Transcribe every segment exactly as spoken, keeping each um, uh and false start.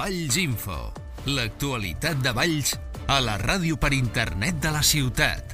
Valls Info, l'actualitat de Valls a la ràdio per internet de la ciutat.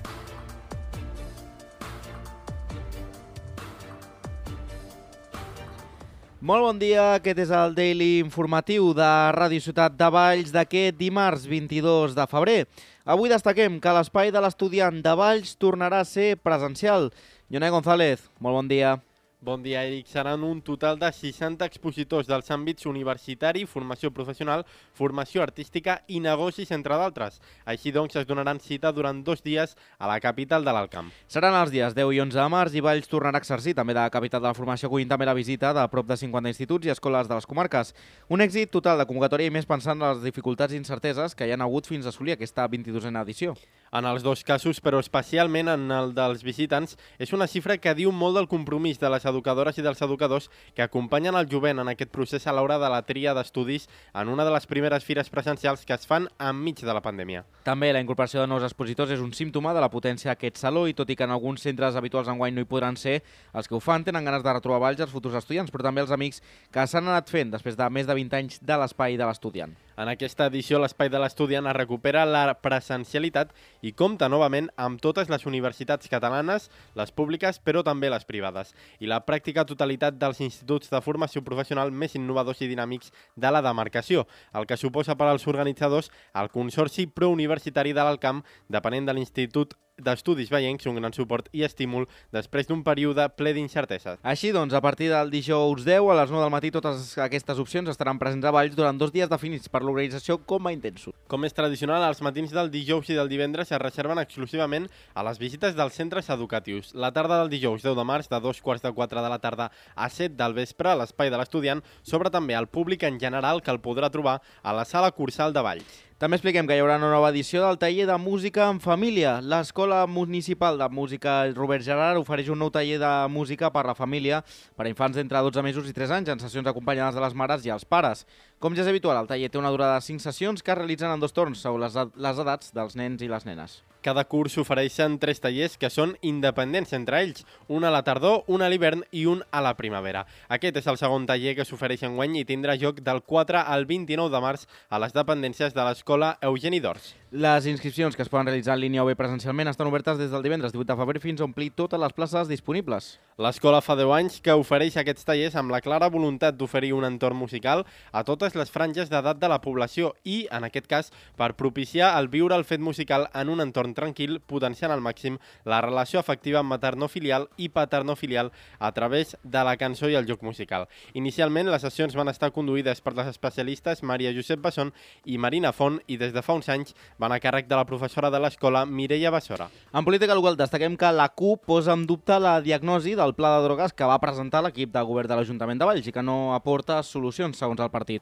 Molt bon dia, aquest és el Daily Informatiu de Ràdio Ciutat de Valls d'aquest dimarts vint-i-dos de febrer. Avui destaquem que l'espai de l'estudiant de Valls tornarà a ser presencial. Ionai González, molt bon dia. Bon dia, Eric. Seran un total de seixanta expositors dels àmbits universitari, formació professional, formació artística i negocis, entre d'altres. Així doncs, es donaran cita durant dos dies a la capital de l'Alt Camp. Seran els dies deu i onze de març i Valls tornarà a exercir també de capital de la formació, acollint també la visita de prop de cinquanta instituts i escoles de les comarques. Un èxit total de convocatòria i més pensant en les dificultats i incerteses que hi han hagut fins a assolir aquesta vint-i-dosena edició. En els dos casos, però especialment en el dels visitants, és una xifra que diu molt del compromís de les educadores i dels educadors que acompanyen el jovent en aquest procés a l'hora de la tria d'estudis en una de les primeres fires presencials que es fan enmig de la pandèmia. També la incorporació de nous expositors és un símptoma de la potència d'aquest saló i tot i que en alguns centres habituals enguany no hi podran ser, els que ho fan tenen ganes de retrobar Valls els futurs estudiants, però també els amics que s'han anat fent després de més de vint anys de l'espai de l'estudiant. En aquesta edició, l'Espai de l'Estudiant es recupera la presencialitat i compta novament amb totes les universitats catalanes, les públiques, però també les privades, i la pràctica totalitat dels instituts de formació professional més innovadors i dinàmics de la demarcació, el que suposa per als organitzadors el Consorci Prouniversitari de l'Alt Camp, depenent de l'Institut d'Estudis Vallencs, un gran suport i estímul després d'un període ple d'incerteses. Així doncs, a partir del dijous deu a les nou del matí totes aquestes opcions estaran presents a Valls durant dos dies definits per l'organització com a intensos. Com és tradicional, els matins del dijous i del divendres es reserven exclusivament a les visites dels centres educatius. La tarda del dijous deu de març, de dos quarts de quatre de la tarda a set del vespre, a l'Espai de l'Estudiant, s'obre també al públic en general que el podrà trobar a la Sala Cursal de Valls. També expliquem que hi haurà una nova edició del taller de música en família. L'Escola Municipal de Música Robert Gerard ofereix un nou taller de música per a la família per a infants d'entre dotze mesos i tres anys en sessions acompanyades de les mares i els pares. Com ja és habitual, el taller té una durada de cinc sessions que es realitzen en dos torns segons les, les edats dels nens i les nenes. Cada curs s'ofereixen tres tallers que són independents entre ells, un a la tardor, un a l'hivern i un a la primavera. Aquest és el segon taller que s'ofereix enguany i tindrà lloc del quatre al vint-i-nou de març a les dependències de l'Escola Eugeni d'Ors. Les inscripcions que es poden realitzar en línia o bé presencialment estan obertes des del divendres divuit de febrer fins a omplir totes les places disponibles. L'escola fa deu anys que ofereix aquests tallers amb la clara voluntat d'oferir un entorn musical a totes les franges d'edat de la població i, en aquest cas, per propiciar el viure el fet musical en un entorn tranquil, potenciant al màxim la relació afectiva maternofilial i paternofilial a través de la cançó i el joc musical. Inicialment, les sessions van estar conduïdes per les especialistes Maria Josep Basson i Marina Font i des de fa uns anys van a càrrec de la professora de l'escola Mireia Bassora. En política local destaquem que la C U P posa en dubte la diagnosi del pla de drogues que va presentar l'equip de govern de l'Ajuntament de Valls i que no aporta solucions, segons el partit.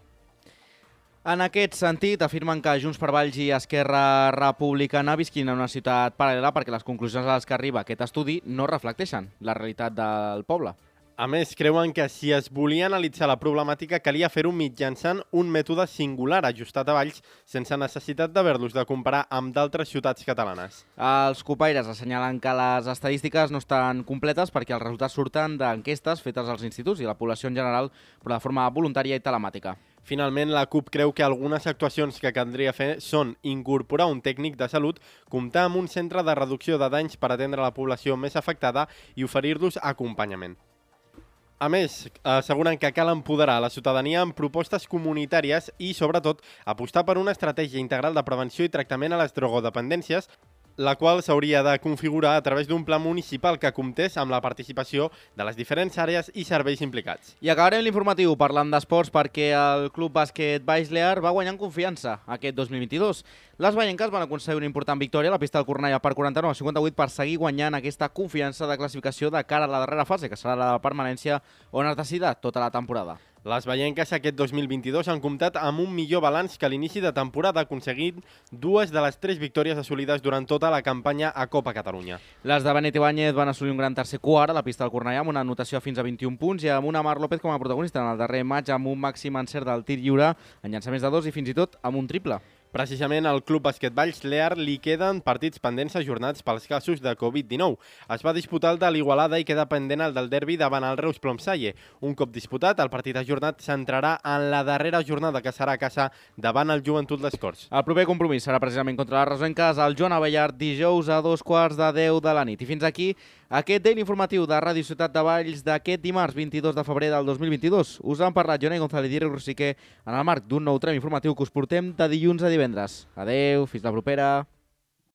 En aquest sentit, afirmen que Junts per Valls i Esquerra Republicana visquin en una ciutat paral·lela perquè les conclusions a les que arriba aquest estudi no reflecteixen la realitat del poble. A més, creuen que si es volia analitzar la problemàtica calia fer-ho mitjançant un mètode singular ajustat a Valls sense necessitat d'haver-los de comparar amb d'altres ciutats catalanes. Els copaires assenyalen que les estadístiques no estan completes perquè els resultats surten d'enquestes fetes als instituts i la població en general, però de forma voluntària i telemàtica. Finalment, la C U P creu que algunes actuacions que caldria fer són incorporar un tècnic de salut, comptar amb un centre de reducció de danys per atendre la població més afectada i oferir-los acompanyament. A més, asseguren que cal empoderar la ciutadania amb propostes comunitàries i, sobretot, apostar per una estratègia integral de prevenció i tractament a les drogodependències, la qual s'hauria de configurar a través d'un pla municipal que comptés amb la participació de les diferents àrees i serveis implicats. I acabarem l'informatiu parlant d'esports perquè el Club Bàsquet Valls Lear va guanyar en confiança aquest dos mil vint-i-dos. Les vallenques van aconseguir una important victòria a la pista del Cornellà per quaranta-nou a cinquanta-vuit per seguir guanyant aquesta confiança de classificació de cara a la darrera fase, que serà la de permanència, on es decidirà tota la temporada. Les vallenques aquest dos mil vint-i-dos han comptat amb un millor balanç que a l'inici de temporada, aconseguint dues de les tres victòries assolides durant tota la campanya a Copa Catalunya. Les de Benet Ibáñez van assolir un gran tercer quart a la pista del Cornellà amb una anotació fins a vint-i-un punts i amb una Mar López com a protagonista en el darrer maig amb un màxim encert del tir lliure en llançaments de dos i fins i tot amb un triple. Precisament al Club Bàsquet Valls Lear li queden partits pendents ajornats pels casos de covid dinou. Es va disputar el de l'Igualada i queda pendent el del derbi davant el Reus Plomsalle. Un cop disputat, el partit ajornat s'entrarà en la darrera jornada que serà a casa davant el Joventut Les Corts. El proper compromís serà precisament contra les Rosenques al Joan Abellart dijous a dos quarts de deu de la nit. I fins aquí aquest daily informatiu de Ràdio Ciutat de Valls d'aquest dimarts vint-i-dos de febrer del dos mil vint-i-dos. Us han parlat Jonai González i Eric Rosiquer en el marc d'un nou tram informatiu que us portem de dilluns a divendres. Adeu, fins la propera.